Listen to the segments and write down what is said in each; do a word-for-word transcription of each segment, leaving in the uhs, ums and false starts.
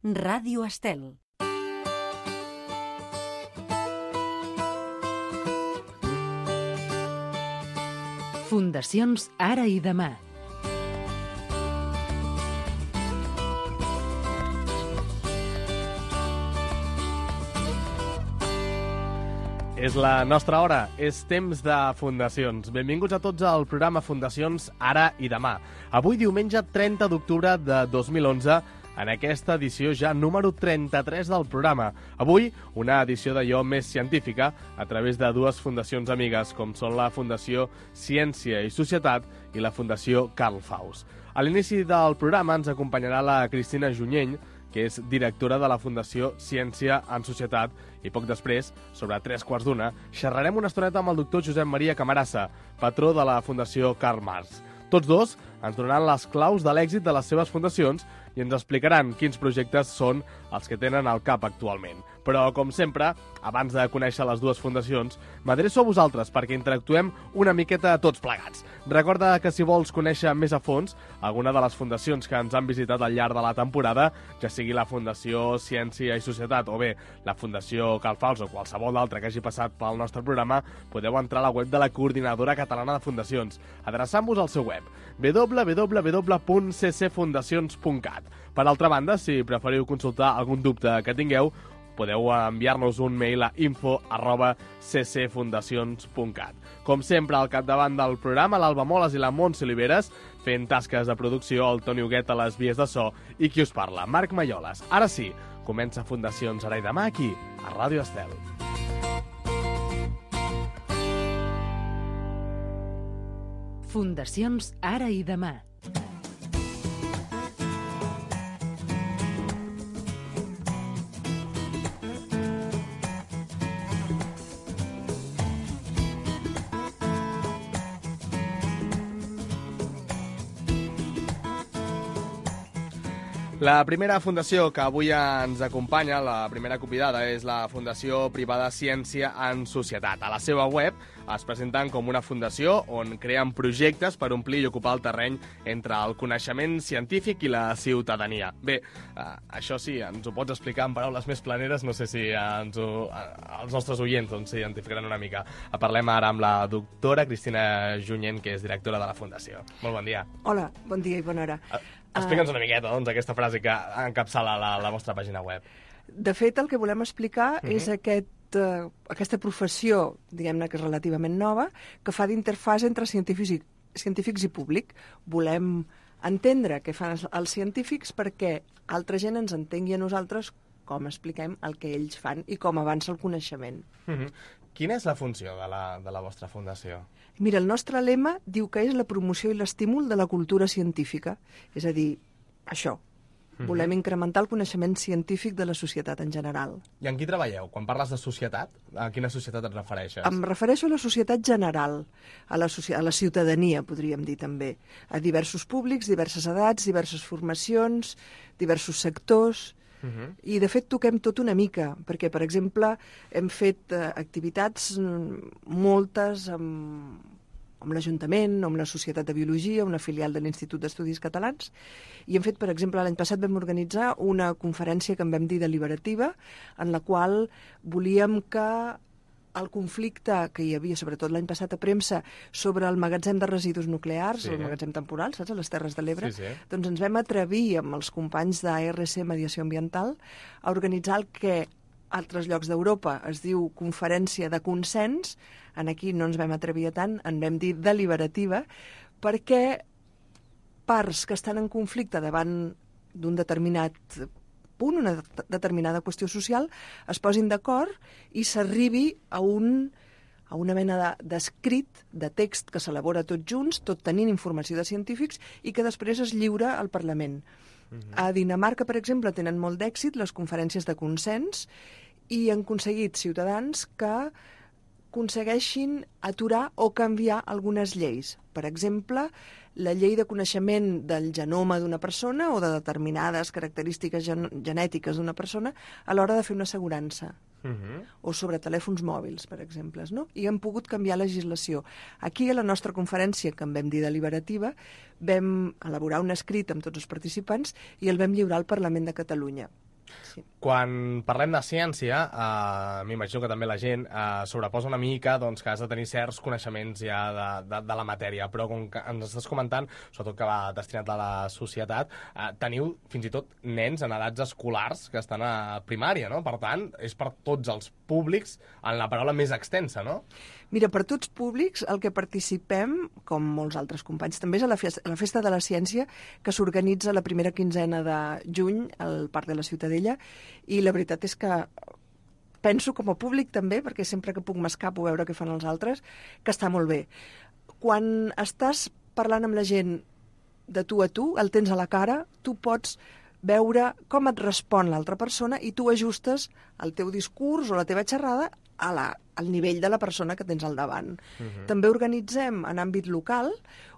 Ràdio Estel. Fundacions Ara i Demà. És la nostra hora, és temps de fundacions. Benvinguts a tots al programa Fundacions Ara i Demà. Avui, diumenge trenta d'octubre de dos mil onze, en aquesta edició ja número trenta-tres del programa. Avui, una edició d'allò més científica a través de dues fundacions amigues, com són la Fundació Ciència i Societat i la Fundació Carl Faust. A l'inici del programa ens acompanyarà la Cristina Junyent, que és directora de la Fundació Ciència en Societat, i poc després, sobre tres quarts d'una, xerrarem una estoneta amb el doctor Josep Maria Camarasa, patró de la Fundació Karl Marx. Tots dos ens donaran les claus de l'èxit de les seves fundacions i ens explicaran quins projectes són els que tenen al cap actualment. Però, com sempre, abans de conèixer les dues fundacions, m'adreço a vosaltres perquè interactuem una miqueta tots plegats. Recorda que si vols conèixer més a fons alguna de les fundacions que ens han visitat al llarg de la temporada, ja sigui la Fundació Ciència i Societat o bé la Fundació Carl Faust o qualsevol altra que hagi passat pel nostre programa, podeu entrar a la web de la Coordinadora Catalana de Fundacions, adreçant-vos al seu web w w w punt c c fundacions punt cat. Per altra banda, si preferiu consultar algun dubte que tingueu, podeu enviar-nos un mail a info arroba c c fundacions punt cat. Com sempre, al capdavant del programa, l'Alba Moles i la Montse Oliveres, fent tasques de producció, el Toni Huguet a les vies de so i qui us parla, Marc Malloles. Ara sí, comença Fundacions Ara i Demà aquí, a Ràdio Estel. Fundacions Ara i Demà. La primera fundació que avui ens acompanya, la primera convidada, és la Fundació Privada Ciència en Societat. A la seva web es presenten com una fundació on creen projectes per omplir i ocupar el terreny entre el coneixement científic i la ciutadania. Bé, eh, això sí, ens ho pots explicar en paraules més planeres, no sé si ens ho, eh, els nostres oients doncs, s'identificaran una mica. Parlem ara amb la doctora Cristina Junyent, que és directora de la Fundació. Molt bon dia. Hola, bon dia i bona hora. Uh, Explica'ns una miqueta, doncs, aquesta frase que encapçala la, la vostra pàgina web. De fet, el que volem explicar uh-huh. és aquest, uh, aquesta professió, diguem-ne que és relativament nova, que fa d'interfàs entre científics i, científics i públic. Volem entendre què fan els, els científics perquè altra gent ens entengui a nosaltres com expliquem el que ells fan i com avança el coneixement. Uh-huh. Quina és la funció de la, de la vostra fundació? Mira, el nostre lema diu que és la promoció i l'estímul de la cultura científica. És a dir, això. Uh-huh. Volem incrementar el coneixement científic de la societat en general. I en qui treballeu? Quan parles de societat, a quina societat et refereixes? Em refereixo a la societat general, a la, a la ciutadania, podríem dir també. A diversos públics, diverses edats, diverses formacions, diversos sectors. Uh-huh. I, de fet, toquem tot una mica, perquè, per exemple, hem fet eh, activitats moltes amb, amb l'Ajuntament, amb la Societat de Biologia, una filial de l'Institut d'Estudis Catalans, i hem fet, per exemple, l'any passat vam organitzar una conferència que en vam dir deliberativa, en la qual volíem que el conflicte que hi havia, sobretot l'any passat a premsa, sobre el magatzem de residus nuclears, sí. el magatzem temporal, saps, a les Terres de l'Ebre, sí, sí. doncs ens vam atrevir amb els companys d'A R C Mediació Ambiental a organitzar el que a altres llocs d'Europa es diu conferència de consens. En aquí no ens vam atrevir a tant, en vam dir deliberativa, perquè parts que estan en conflicte davant d'un determinat punt, una determinada qüestió social, es posin d'acord i s'arribi a, un, a una mena d'escrit, de, de text que s'elabora tots junts, tot tenint informació de científics, i que després es lliura al Parlament. Uh-huh. A Dinamarca, per exemple, tenen molt d'èxit les conferències de consens i han aconseguit ciutadans que aconsegueixin aturar o canviar algunes lleis. Per exemple, la llei de coneixement del genoma d'una persona o de determinades característiques gen genètiques d'una persona a l'hora de fer una assegurança. Uh-huh. O sobre telèfons mòbils, per exemple, no? I hem pogut canviar legislació. Aquí, a la nostra conferència, que en vam dir deliberativa, vam elaborar un escrit amb tots els participants i el vam lliurar al Parlament de Catalunya. Sí. Quan parlem de ciència, eh, m'imagino que també la gent eh, sobreposa una mica doncs, que has de tenir certs coneixements ja de, de, de la matèria, però com que ens estàs comentant, sobretot que va destinat a la societat, eh, teniu fins i tot nens en edats escolars que estan a primària, no? Per tant, és per tots els públics en la paraula més extensa, no? Mira, per tots públics, el que participem, com molts altres companys, també és a la festa, a la festa de la Ciència, que s'organitza la primera quinzena de juny al Parc de la Ciutadella, i la veritat és que penso com a públic també, perquè sempre que puc m'escapo a veure què fan els altres, que està molt bé. Quan estàs parlant amb la gent de tu a tu, el tens a la cara, tu pots veure com et respon l'altra persona i tu ajustes el teu discurs o la teva xerrada a la, al nivell de la persona que tens al davant. Uh-huh. També organitzem en àmbit local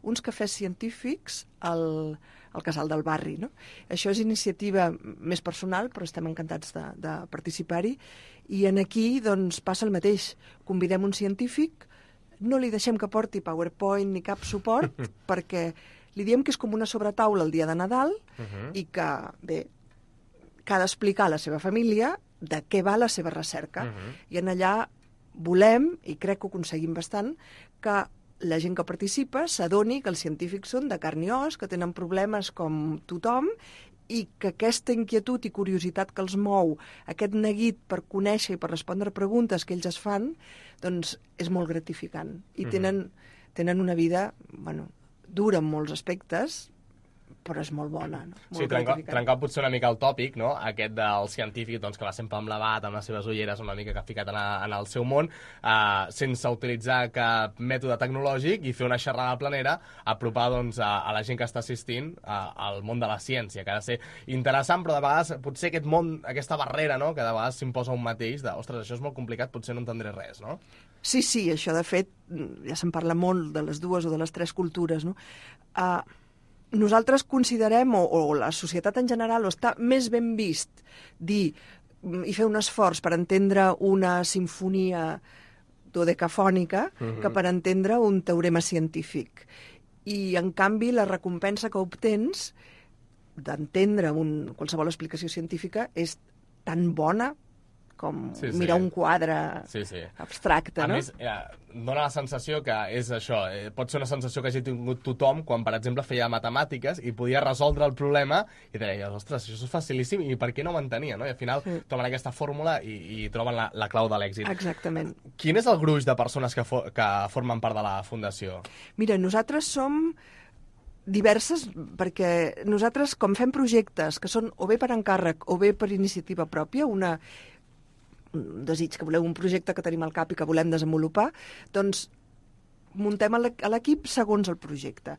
uns cafès científics al, al casal del barri. No? Això és iniciativa més personal, però estem encantats de, de participar-hi. I en aquí doncs, passa el mateix. Convidem un científic, no li deixem que porti PowerPoint ni cap suport, perquè li diem que és com una sobretaula el dia de Nadal uh-huh. i que, bé, que ha d'explicar a la seva família de què va la seva recerca. Uh-huh. I en allà volem, i crec que ho aconseguim bastant, que la gent que participa s'adoni que els científics són de carn i os, que tenen problemes com tothom, i que aquesta inquietud i curiositat que els mou, aquest neguit per conèixer i per respondre preguntes que ells es fan, doncs és molt gratificant. I tenen, tenen una vida, bueno, dura en molts aspectes, però és molt bona. No? Molt sí, trencar, trencar potser una mica el tòpic, no? Aquest del científic doncs, que va sempre amb l'abat, amb les seves ulleres, una mica que ha ficat en, a, en el seu món, eh, sense utilitzar cap mètode tecnològic i fer una xerrada planera, apropar doncs, a, a la gent que està assistint a, al món de la ciència, que ha de ser interessant, però de vegades potser aquest món, aquesta barrera, no? Que de vegades s'imposa un mateix, de, ostres, això és molt complicat, potser no entendré res, no? Sí, sí, això de fet, ja se'n parla molt de les dues o de les tres cultures, no? Uh, Nosaltres considerem, o, o la societat en general, o està més ben vist dir i fer un esforç per entendre una sinfonia dodecafònica uh-huh. que per entendre un teorema científic. I, en canvi, la recompensa que obtens d'entendre un, qualsevol explicació científica és tan bona com sí, sí. mirar un quadre sí, sí. abstracte, a no? A més, eh, dona la sensació que és això, eh, pot ser una sensació que hagi tingut tothom quan, per exemple, feia matemàtiques i podia resoldre el problema i deia, ostres, això és facilíssim i per què no ho entenia, no? I al final sí. troben aquesta fórmula i, i troben la, la clau de l'èxit. Exactament. Quin és el gruix de persones que, fo que formen part de la Fundació? Mira, nosaltres som diverses, perquè nosaltres, com fem projectes que són o bé per encàrrec o bé per iniciativa pròpia, una un desig que voleu, un projecte que tenim al cap i que volem desenvolupar, doncs muntem a l'equip segons el projecte.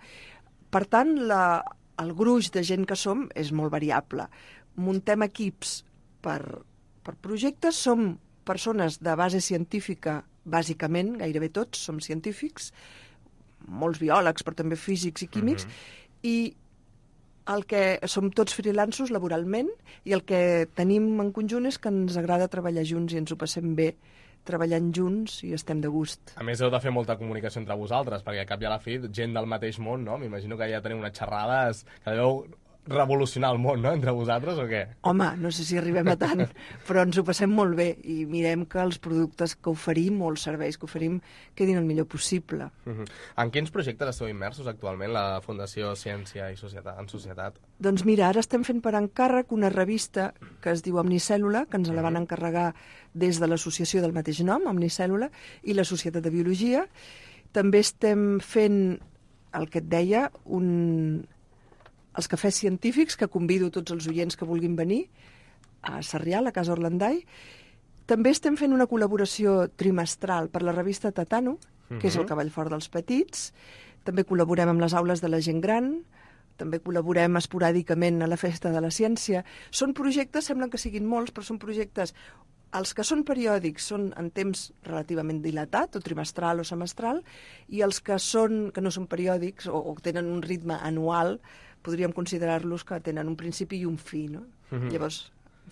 Per tant, la, el gruix de gent que som és molt variable. Muntem equips per, per projectes, som persones de base científica, bàsicament, gairebé tots som científics, molts biòlegs, però també físics i químics, uh-huh. i el que som tots freelanços laboralment i el que tenim en conjunt és que ens agrada treballar junts i ens ho passem bé treballant junts i estem de gust. A més, heu de fer molta comunicació entre vosaltres, perquè al cap i a la fi, gent del mateix món, no? M'imagino que ja teniu unes xerrades que deveu revolucionar el món, no?, entre vosaltres, o què? Home, no sé si arribem a tant, però ens ho passem molt bé i mirem que els productes que oferim o els serveis que oferim quedin el millor possible. Uh-huh. En quins projectes esteu immersos actualment, la Fundació Ciència i Societat, en Societat? Doncs mira, ara estem fent per encàrrec una revista que es diu Omnicèl·lula, que ens la van encarregar des de l'associació del mateix nom, Omnicèl·lula, i la Societat de Biologia. També estem fent, el que et deia, un... els cafès científics, que convido tots els oients que vulguin venir a Sarrià, a la Casa Orlandai. També estem fent una col·laboració trimestral per la revista Tatano, que uh-huh. és el cavall fort dels petits. També col·laborem amb les aules de la gent gran, també col·laborem esporàdicament a la Festa de la Ciència. Són projectes, semblen que siguin molts, però són projectes... Els que són periòdics són en temps relativament dilatat, o trimestral o semestral, i els que, són, que no són periòdics o, o tenen un ritme anual, podríem considerar-los que tenen un principi i un fi, no? Uh-huh. Llavors,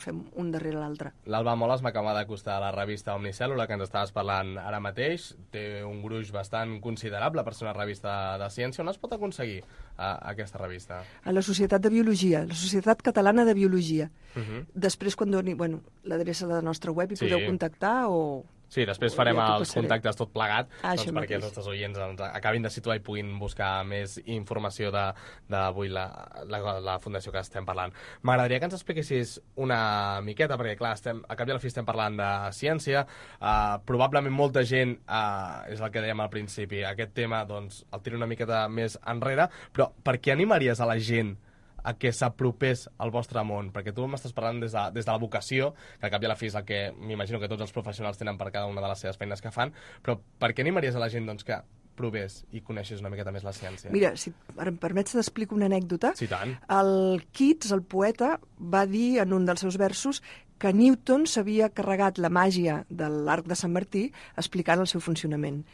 fem un darrere l'altre. L'Alba Moles m'acaba d'acostar a la revista Omnicèl·lula, que ens estaves parlant ara mateix. Té un gruix bastant considerable per ser una revista de ciència. On es pot aconseguir uh, aquesta revista? A la Societat de Biologia, la Societat Catalana de Biologia. Uh -huh. Després, quan doni bueno, l'adreça de la nostra web, hi Sí. podeu contactar o... Sí, després farem Ja t'ho els passaré. contactes tot plegat, Ah, doncs això perquè mateix. els nostres oients ens acabin de situar i puguin buscar més informació de- d'avui la, la, la fundació que estem parlant. M'agradaria que ens expliquessis una miqueta, perquè clar, estem, a cap i a la fi estem parlant de ciència, uh, probablement molta gent, uh, és el que dèiem al principi, aquest tema doncs, el tira una miqueta més enrere, però per què animaries a la gent a que s'apropés al vostre món? Perquè tu m'estàs parlant des de, des de la vocació, que al cap i a la fi és el que m'imagino que tots els professionals tenen per cada una de les seves feines que fan, però per què animaries a la gent doncs, que provés i coneixés una miqueta més la ciència? Mira, si em permets t'explico una anècdota. Sí, tant. El Keats, el poeta, va dir en un dels seus versos que Newton s'havia carregat la màgia de l'arc de Sant Martí explicant el seu funcionament.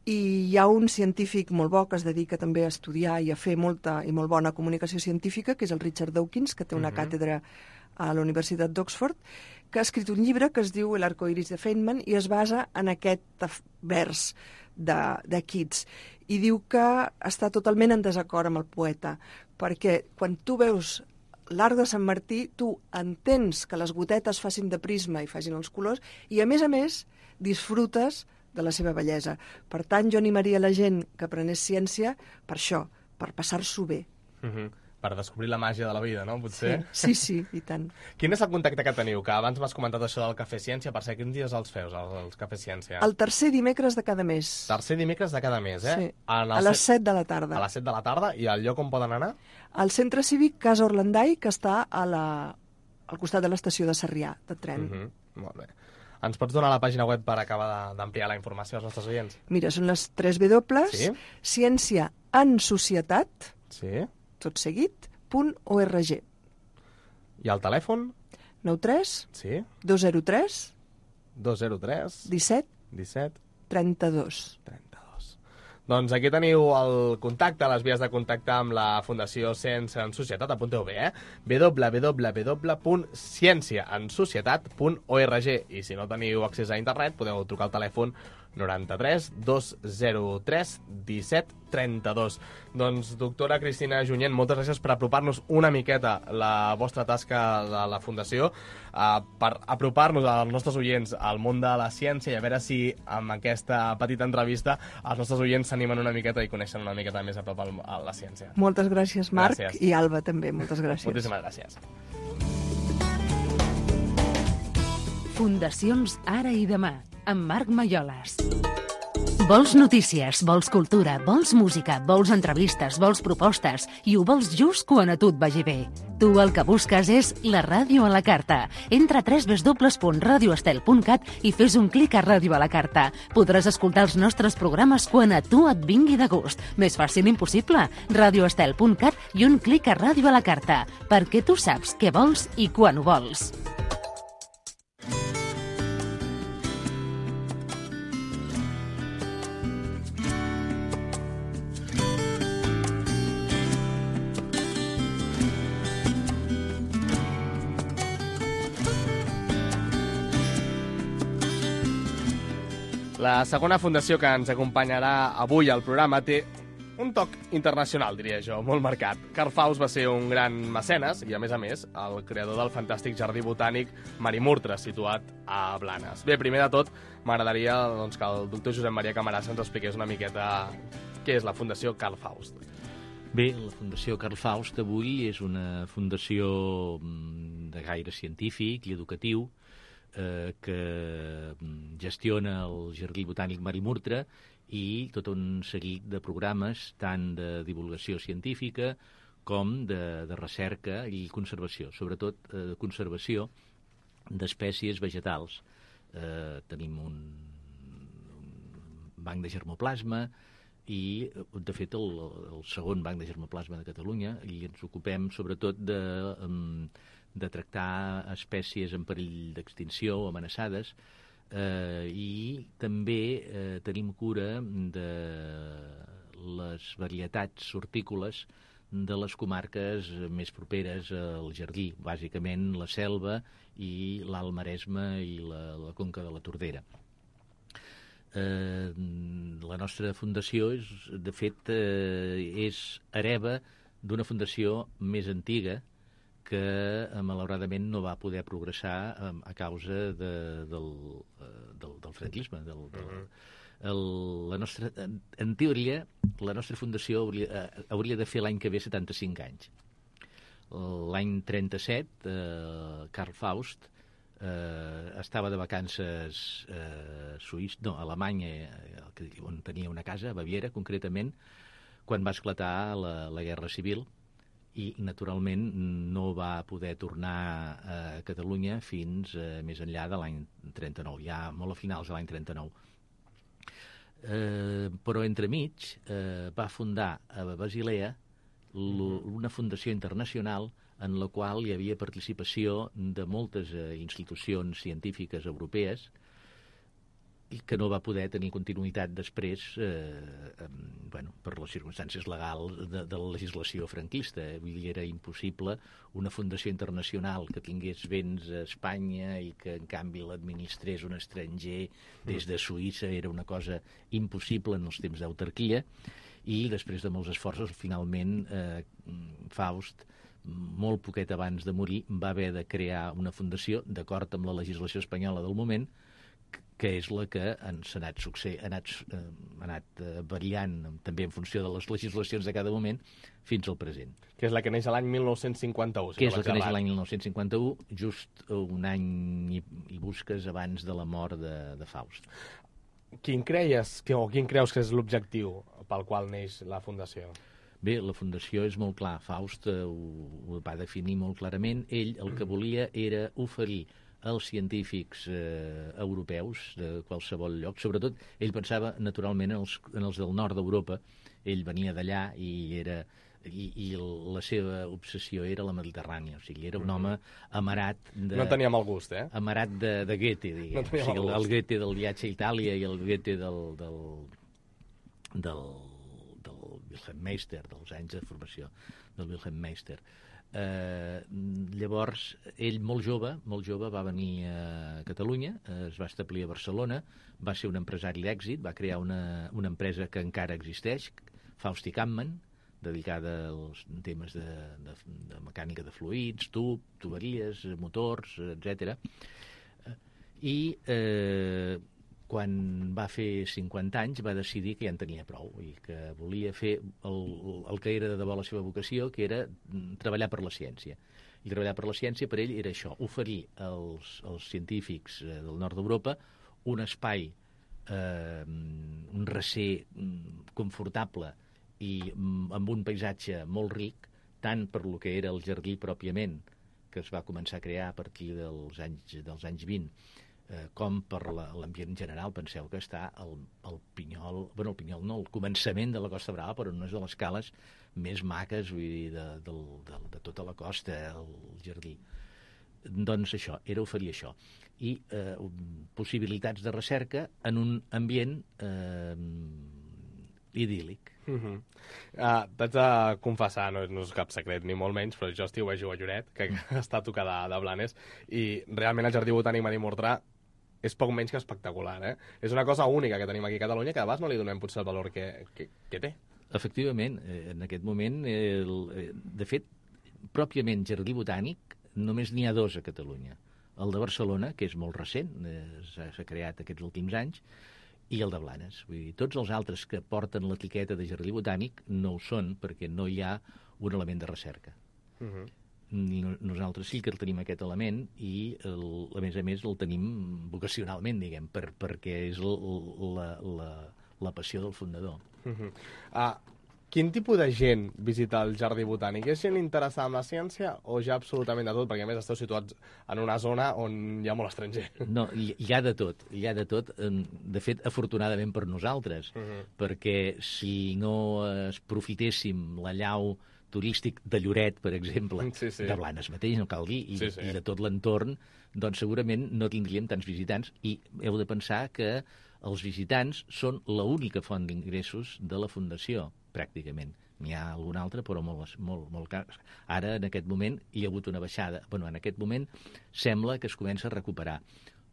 I hi ha un científic molt bo que es dedica també a estudiar i a fer molta i molt bona comunicació científica, que és el Richard Dawkins, que té una Mhm. càtedra a la Universitat d'Oxford, que ha escrit un llibre que es diu El arco iris de Feynman i es basa en aquest vers de, de Keats. I diu que està totalment en desacord amb el poeta, perquè quan tu veus l'arc de Sant Martí, tu entens que les gotetes facin de prisma i facin els colors, i a més a més disfrutes de la seva bellesa. Per tant, jo animaria la gent que aprenés ciència per això, per passar-s'ho bé. Uh -huh. Per descobrir la màgia de la vida, no? Potser? Sí, sí, i tant. Quin és el contacte que teniu? Que abans m'has comentat això del Cafè Ciència. Per ser, quins dies els feus, els, els Cafè Ciència? El tercer dimecres de cada mes. Tercer dimecres de cada mes, eh? Sí, En el a les set- set de la tarda. A les set de la tarda. I al lloc on poden anar? Al centre cívic Casa Orlandai, que està a la, al costat de l'estació de Sarrià, de tren. Uh -huh. Molt bé. Ens pots donar la pàgina web per acabar de- d'ampliar la informació als nostres oients? Mira, són les tres W, Sí. ciència en societat, Sí. tot seguit, punt org. I el telèfon? nou tres Sí. dos zero tres dos zero tres disset disset trenta dos. trenta-dos. Doncs aquí teniu el contacte, les vies de contacte amb la Fundació Ciència en Societat, apunteu bé, eh? w w w punt ciència en societat punt org. I si no teniu accés a internet, podeu trucar al telèfon noranta-tres dos zero tres disset trenta-dos. Doncs, doctora Cristina Junyent, moltes gràcies per apropar-nos una miqueta la vostra tasca de la Fundació, uh, per apropar-nos als nostres oients al món de la ciència i a veure si amb aquesta petita entrevista els nostres oients s'animen una miqueta i coneixen una miqueta més a prop el, a la ciència. Moltes gràcies, Marc, Gràcies. i Alba també, moltes gràcies. Moltíssimes gràcies. Fundacions Ara i Demà, amb Marc Malloles. Vols notícies, vols cultura, vols música, vols entrevistes, vols propostes i ho vols just quan a tu et vagi bé. Tu el que busques és la ràdio a la carta. Entra a w w w punt radio estel punt cat i fes un clic a Ràdio a la Carta. Podràs escoltar els nostres programes quan a tu et vingui de gust. Més fàcil impossible. radio estel punt cat i un clic a Ràdio a la Carta, perquè tu saps què vols i quan ho vols. La segona fundació que ens acompanyarà avui al programa té un toc internacional, diria jo, molt marcat. Carl Faust va ser un gran mecenes i, a més a més, el creador del fantàstic jardí botànic Marimurtre, situat a Blanes. Bé, primer de tot, m'agradaria doncs, que el doctor Josep Maria Camarasa ens expliqués una miqueta què és la Fundació Carl Faust. Bé, la Fundació Carl Faust avui és una fundació de gaire científic i educatiu eh, que gestiona el Jardí Botànic Marimurtre i tot un seguit de programes tant de divulgació científica com de, de recerca i conservació, sobretot eh, conservació d'espècies vegetals. Eh, tenim un, un banc de germoplasma i, de fet, el, el segon banc de germoplasma de Catalunya, i ens ocupem sobretot de, de tractar espècies en perill d'extinció o amenaçades, eh, i també eh, tenim cura de les varietats hortícoles de les comarques més properes al Jardí, bàsicament la Selva i l'Alt Maresme i la, la Conca de la Tordera. Eh, la nostra fundació, és, de fet, eh, és hereva d'una fundació més antiga que eh, malauradament no va poder progressar eh, a causa de, del, eh, del, del franquisme. Del, del, el, la nostra, en, en teoria, la nostra fundació hauria, eh, hauria de fer l'any que ve setanta-cinc anys. L'any trenta-set, eh, Karl Faust eh, estava de vacances eh, suís, no, a Alemanya, eh, on tenia una casa, a Baviera, concretament, quan va esclatar la, la Guerra Civil, i, naturalment, no va poder tornar a Catalunya fins eh, més enllà de l'any trenta-nou, ja molt a finals de l'any trenta-nou. Eh, però entremig eh, va fundar a Basilea una fundació internacional en la qual hi havia participació de moltes eh, institucions científiques europees i que no va poder tenir continuïtat després eh, eh, bueno, per les circumstàncies legals de, de la legislació franquista. Vull dir, era impossible una fundació internacional que tingués béns a Espanya i que, en canvi, l'administrés un estranger des de Suïssa. Era una cosa impossible en els temps d'autarquia, i després de molts esforços, finalment, eh, Faust, molt poquet abans de morir, va haver de crear una fundació d'acord amb la legislació espanyola del moment, que és la que ens ha anat, succe... ha anat, eh, ha anat eh, variant també en funció de les legislacions de cada moment fins al present. Que és la que neix l'any mil nou-cents cinquanta-u. Si que no és la que neix l'any mil nou-cents cinquanta-u, just un any i, i busques abans de la mort de, de Faust. Quin creies, que, o quin creus que és l'objectiu pel qual neix la Fundació? Bé, la Fundació és molt clar. Faust eh, ho, ho va definir molt clarament. Ell el que volia era oferir als científics eh, europeus de qualsevol lloc, sobretot ell pensava naturalment en els, en els del nord d'Europa. Ell venia d'allà i era i, i la seva obsessió era la Mediterrània, o sigui, era un home amarat de... No tenia mal gust, eh? Amarat de, de Goethe, diguem. No tenia o sigui, mal el, el gust. Goethe del viatge a Itàlia i el Goethe del, del, del, del Wilhelm Meister, dels anys de formació del Wilhelm Meister. Eh, llavors, ell molt jove, molt jove va venir a Catalunya, eh, es va establir a Barcelona, va ser un empresari d'èxit, va crear una, una empresa que encara existeix, Faust i Kampmann, dedicada als temes de, de, de mecànica de fluids, tub, tuberies, motors, etcètera. I eh, quan va fer cinquanta anys va decidir que ja en tenia prou i que volia fer el, el que era de debò la seva vocació, que era treballar per la ciència. I treballar per la ciència per ell era això, oferir als, als científics del nord d'Europa un espai, eh, un recer confortable i amb un paisatge molt ric, tant per lo que era el jardí pròpiament, que es va començar a crear a partir dels anys, dels anys vint, eh, com per l'ambient general. Penseu que està el, el Pinyol, bueno, el Pinyol no, el començament de la Costa Brava, però no és de les cales més maques, vull dir, de, de, de, de tota la costa, el jardí. Doncs això, era oferir això. I eh, possibilitats de recerca en un ambient eh, idíl·lic. Uh -huh. uh, T'haig de confessar, no, no és cap secret ni molt menys, però jo estiuejo a Lloret, que està tocada de, de Blanes, i realment el Jardí Botànic Maria Mortrà és poc menys que espectacular, eh? És una cosa única que tenim aquí a Catalunya, que a vegades no li donem potser el valor que, que, que té. Efectivament, eh, en aquest moment, eh, el, eh, de fet, pròpiament Jardí Botànic només n'hi ha dos a Catalunya. El de Barcelona, que és molt recent, eh, s'ha creat aquests últims anys, i el de Blanes. Vull dir, tots els altres que porten l'etiqueta de Jardí Botànic no ho són perquè no hi ha un element de recerca. Uh -huh. I nosaltres sí que el tenim aquest element i, el, a més a més, el tenim vocacionalment, diguem, per, perquè és el, la, la, la passió del fundador. Uh -huh. uh, Quin tipus de gent visita el Jardí Botànic? És gent interessada en la ciència o ja absolutament de tot? Perquè, a més, esteu situats en una zona on hi ha molt estranger. No, hi, hi ha de tot, hi ha de tot. De fet, afortunadament per nosaltres, uh -huh. perquè si no es profitéssim la llau turístic de Lloret, per exemple, sí, sí. de Blanes mateix, no cal dir, i, sí, sí. i de tot l'entorn, doncs segurament no tindríem tants visitants, i heu de pensar que els visitants són l'única font d'ingressos de la Fundació, pràcticament. N'hi ha algun altre, però molt, molt, molt car. Ara, en aquest moment, hi ha hagut una baixada. Bueno, en aquest moment sembla que es comença a recuperar,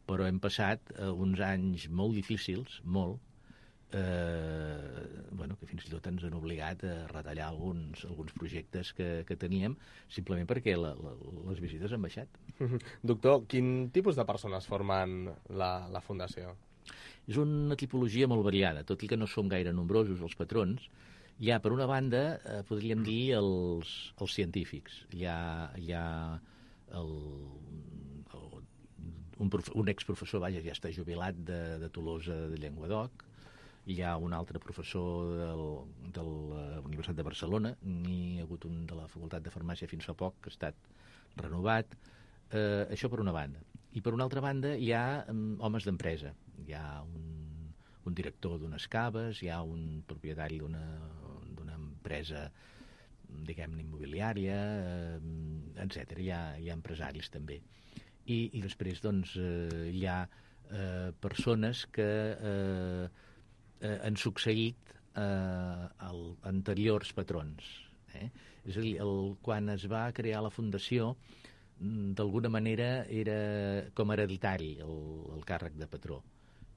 però hem passat eh, uns anys molt difícils, molt, eh, bueno, que fins i tot ens han obligat a retallar alguns, alguns projectes que, que teníem, simplement perquè la, la, les visites han baixat. Doctor, quin tipus de persones formen la, la Fundació? És una tipologia molt variada, tot i que no som gaire nombrosos els patrons. Hi ha, per una banda, eh, podríem dir els, els científics. Hi ha, hi ha el, el, un, prof, un exprofessor, vaja, ja està jubilat de, de Tolosa de Llenguadoc. Hi ha un altre professor del, de la Universitat de Barcelona. N'hi ha hagut un de la Facultat de Farmàcia fins fa poc, que ha estat renovat. Eh, això per una banda. I per una altra banda hi ha um, homes d'empresa. Hi ha un, un director d'unes caves, hi ha un propietari d'una d'una empresa, diguem-ne, immobiliària, eh, etcètera. Hi ha, hi ha empresaris també. I, i després, doncs, eh, hi ha eh, persones que eh, eh, han succeït eh, el, anteriors patrons. Eh? És a dir, el, quan es va crear la Fundació, d'alguna manera era com hereditari el, el càrrec de patró.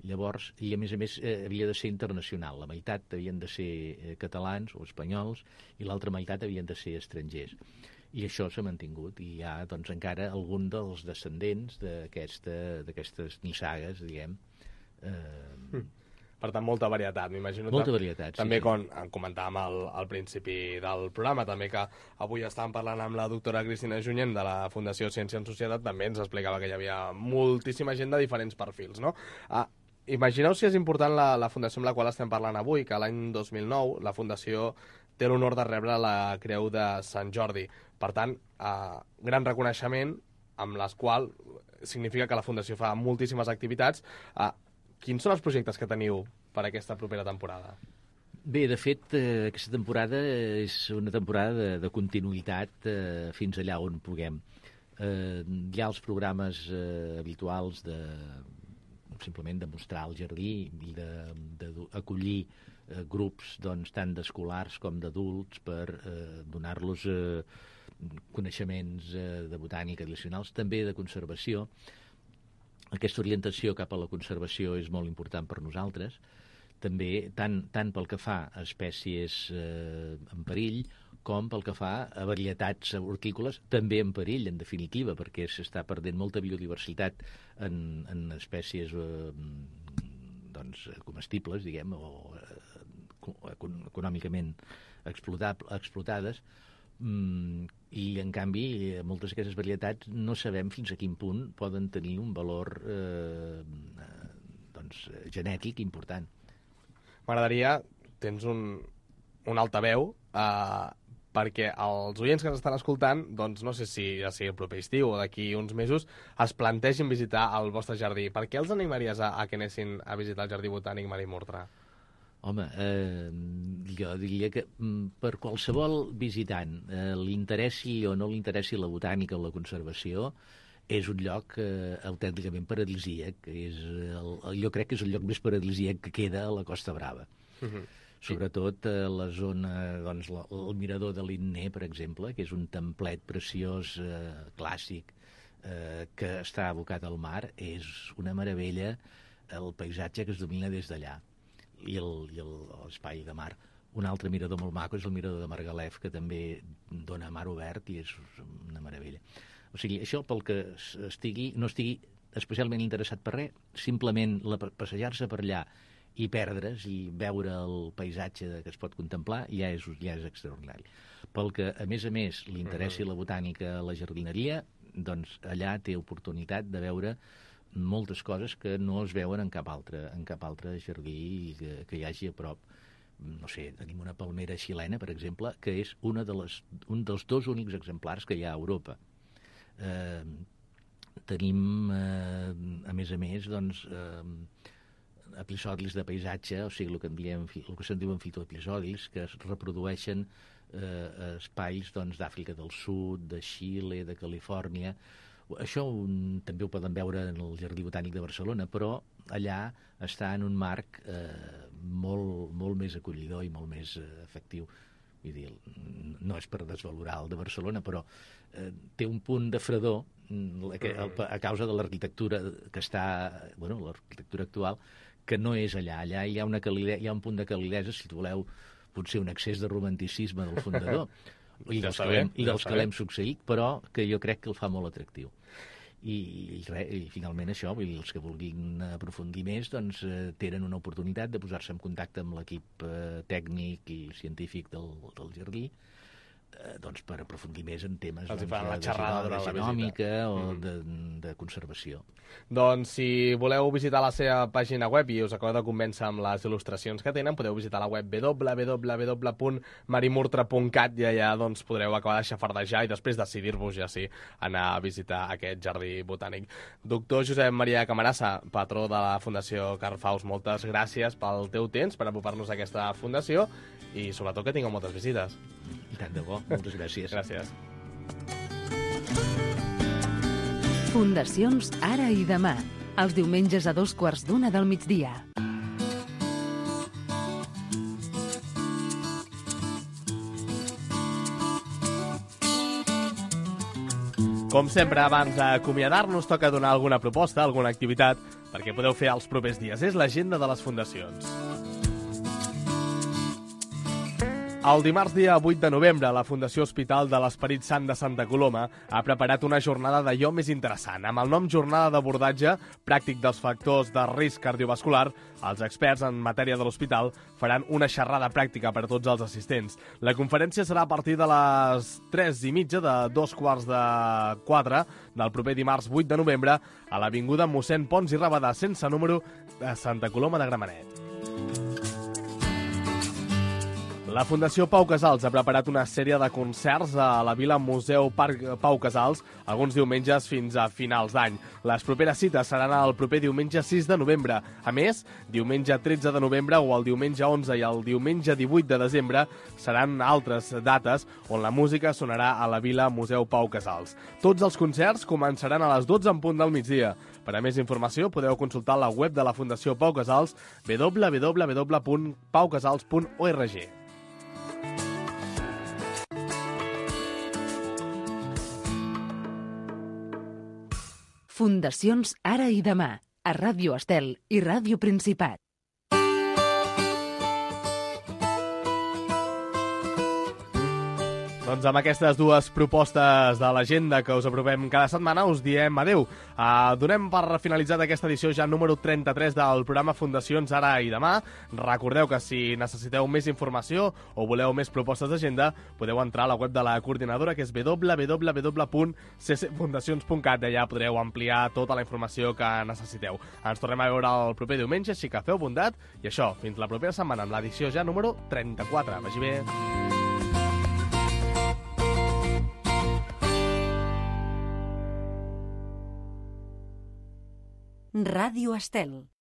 Llavors, i a més a més eh, havia de ser internacional. La meitat havien de ser eh, catalans o espanyols i l'altra meitat havien de ser estrangers. I això s'ha mantingut. I hi ha, doncs, encara algun dels descendents d'aquestes aquesta, nissagues, diguem. Eh... Per tant, molta varietat, m'imagino. Molta varietat, sí. També, sí. com comentàvem al, al principi del programa, també que avui estàvem parlant amb la doctora Cristina Junyent de la Fundació Ciència en Societat, també ens explicava que hi havia moltíssima gent de diferents perfils, no? Ah, imagineu si és important la, la fundació amb la qual estem parlant avui, que l'any dos mil nou la Fundació té l'honor de rebre la Creu de Sant Jordi. Per tant, eh, gran reconeixement, amb les quals significa que la Fundació fa moltíssimes activitats. Eh, quins són els projectes que teniu per aquesta propera temporada? Bé, de fet, eh, aquesta temporada és una temporada de, de continuïtat eh, fins allà on puguem. Eh, hi ha els programes eh, habituals de simplement de mostrar el jardí i d'acollir eh, grups doncs, tant d'escolars com d'adults per eh, donar-los eh, coneixements eh, de botànica addicionals, també de conservació. Aquesta orientació cap a la conservació és molt important per nosaltres, també tant, tant pel que fa a espècies eh, en perill com pel que fa a varietats hortícoles també en perill, en definitiva, perquè s'està perdent molta biodiversitat en, en espècies eh, doncs, comestibles, diguem, o eh, econòmicament explotades, mm, i en canvi moltes d'aquestes varietats no sabem fins a quin punt poden tenir un valor eh, doncs, genètic important. M'agradaria, tens un, un altaveu, eh, perquè els oients que ens estan escoltant, doncs no sé si ja sigui el proper estiu o d'aquí uns mesos, es plantegin visitar el vostre jardí. Per què els animaries a, a que anessin a visitar el Jardí Botànic Marí Murtra? Home, eh, jo diria que per qualsevol visitant eh, li interessi o no li interessi la botànica o la conservació, és un lloc eh, autènticament paradisíac. És el, jo crec que és el lloc més paradisíac que queda a la Costa Brava. Uh-huh. Sobretot a la zona, doncs, la, el mirador de l'Inné, per exemple, que és un templet preciós, eh, clàssic, eh, que està abocat al mar. És una meravella el paisatge que es domina des d'allà i l'espai de mar. Un altre mirador molt maco és el mirador de Margalef, que també dona mar obert i és una meravella. O sigui, això pel que estigui, no estigui especialment interessat per res, simplement la, passejar-se per allà i perdre's i veure el paisatge que es pot contemplar ja és, ja és extraordinari. Pel que, a més a més, li interessi la botànica, la jardineria, doncs allà té oportunitat de veure moltes coses que no es veuen en cap altre, en cap altre jardí que, que hi hagi a prop. No sé, tenim una palmera xilena, per exemple, que és una de les, un dels dos únics exemplars que hi ha a Europa. Eh, tenim, eh, a més a més, doncs, eh, episodis de paisatge, o sigui, el que, en diem, el que se'n diuen fitoepisodis, que es reprodueixen eh, espais doncs, d'Àfrica del Sud, de Xile, de Califòrnia. Això un, també ho poden veure en el Jardí Botànic de Barcelona, però allà està en un marc eh, molt, molt més acollidor i molt més eh, efectiu. Vull dir, no és per desvalorar el de Barcelona, però eh, té un punt de fredor que, a causa de l'arquitectura que està, bueno, l'arquitectura actual, que no és allà. Allà hi ha, una calidesa, hi ha un punt de calidesa, si voleu, potser un excés de romanticisme del fundador, i dels que l'hem ja l'hem succeït, però que jo crec que el fa molt atractiu. I, i, re, i finalment això, vull dir, els que vulguin aprofundir més doncs, eh, tenen una oportunitat de posar-se en contacte amb l'equip eh, tècnic i científic del, del jardí, eh, doncs, per aprofundir més en temes doncs, la xerrada de genòmica o mm. de, de conservació. Doncs si voleu visitar la seva pàgina web i us acabeu de convèncer amb les il·lustracions que tenen, podeu visitar la web w w w punt marimurtra punt cat i allà doncs, podreu acabar de xafardejar i després decidir-vos ja sí anar a visitar aquest jardí botànic. Doctor Josep Maria Camarasa, patró de la Fundació Carl Faust, moltes gràcies pel teu temps per apropar-nos a aquesta fundació i sobretot que tingueu moltes visites. I tant de bo, moltes gràcies. Gràcies. Fundacions Ara i Demà, els diumenges a dos quarts d'una del migdia. Com sempre, abans d'acomiadar-nos, toca donar alguna proposta, alguna activitat, perquè podeu fer els propers dies. És l'agenda de les fundacions. El dimarts dia vuit de novembre, la Fundació Hospital de l'Esperit Sant de Santa Coloma ha preparat una jornada d'allò més interessant. Amb el nom Jornada d'abordatge pràctic dels factors de risc cardiovascular, els experts en matèria de l'hospital faran una xerrada pràctica per a tots els assistents. La conferència serà a partir de les tres i mitja de dos quarts de quatre del proper dimarts vuit de novembre a l'Avinguda Mossèn Pons i Rabadà, sense número, de Santa Coloma de Gramenet. La Fundació Pau Casals ha preparat una sèrie de concerts a la Vila Museu Parc Pau Casals, alguns diumenges fins a finals d'any. Les properes cites seran el proper diumenge sis de novembre. A més, diumenge tretze de novembre o el diumenge onze i el diumenge divuit de desembre seran altres dates on la música sonarà a la Vila Museu Pau Casals. Tots els concerts començaran a les dotze en punt del migdia. Per a més informació podeu consultar la web de la Fundació Pau Casals w w w punt pau casals punt org. Fundacions Ara i Demà, a Ràdio Estel i Ràdio Principat. Doncs amb aquestes dues propostes de l'agenda que us aprovem cada setmana us diem adeu. Uh, donem per finalitzat aquesta edició ja número trenta-tres del programa Fundacions Ara i Demà. Recordeu que si necessiteu més informació o voleu més propostes d'agenda podeu entrar a la web de la coordinadora que és w w w punt c c fundacions punt cat. Allà podreu ampliar tota la informació que necessiteu. Ens tornem a veure el proper diumenge, així que feu bondat i això, fins la propera setmana amb l'edició ja número trenta-quatre. Vagi bé. Ràdio Estel.